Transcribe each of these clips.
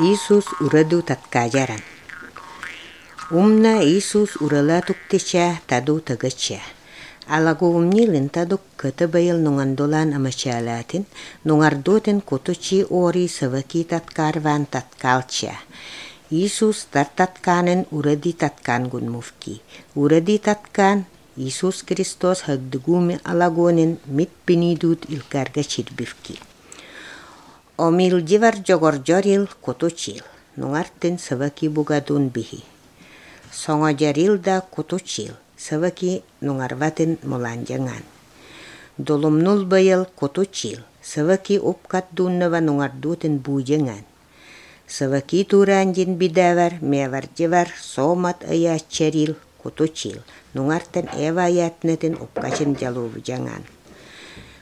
Иисус ураду таткажаран. Умна Иисус урала туктеча таду тагача. Алагуумнилин тадук кыты байыл нуңандолан амачалатын, нуңардотен коточи ори саваки таткарван таткалча. Иисус татканын уради таткан гунмувки. Уради таткан Иисус Христос хагдыгуми алагонин митпинидут илкарга чирбивки. Омилдивар жогоржорил коточил, нуңартын саваки бугадун бихи. Соңожарил да коточил, саваки нуңарватын моланжаңан. Долумнул байыл коточил, саваки опкаттуннава нуңардутын буйжаңан. Саваки туранжин бидавар, меваржевар, сомат аячарил, коточил, нуңартын эва аятнетін опкачын жалувжаңан.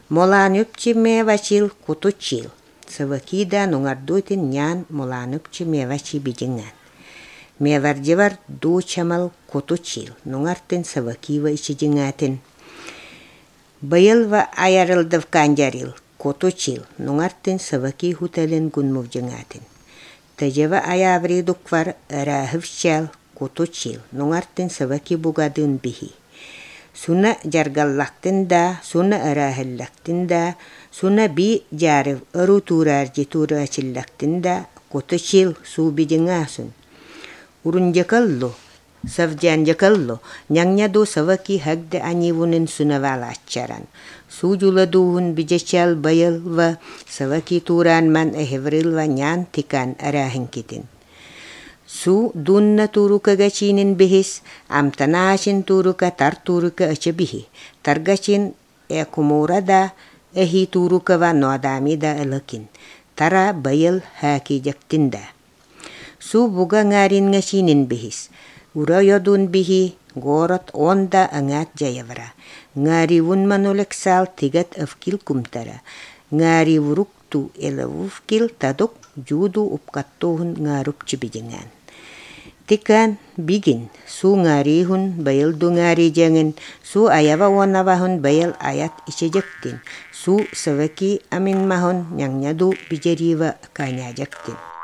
Молан өпчи мевачил, коточил, саваки да нуңардутын нян молан өпчи мевачи bijingan. Меваржевар ду чамал коточил, нуңартын савакива ичижиңатын. Байылва аярылдыв канжарил, коточил, нуңартын саваки хуталын гунмувжыңатын. Тажева аяври дуквар арахывчал, коточил, нуңартын саваки бугадын бихи. Суна жаргаллактын да, суна арахыллактын да, суна би жарыв ыру тураржи турачиллактын да, коточил су bijingasun. Урунжакалло, савжанжакалло, нянняду саваки хагда анивунын сунавала ачаран. Сужуладуун bijachal байылва саваки туран ман эхеврилва нян тикан арахинкитин. Су дунна турука гачинин бихис, амтанашин турука тар турука ачабихи. Таргачин экумурада эхи турукава ноадамида элакин. Тара байыл хаки жактинда. Су буга нгарин гачинин бихис. Ура йодун бихи, город онда аңат жаявара. Ngaри вунман олексал тигат авкил кумтара. Ngaри вурукту элавувкил тадок жуду упкаттохун ngarup bijingan. Tikan bigin su ngarihun bayal du ngari jangan su ayava wanavahun bayal ayat isejaktin su savaki amin mahon yang nyadu bijariwa kanyajaktin.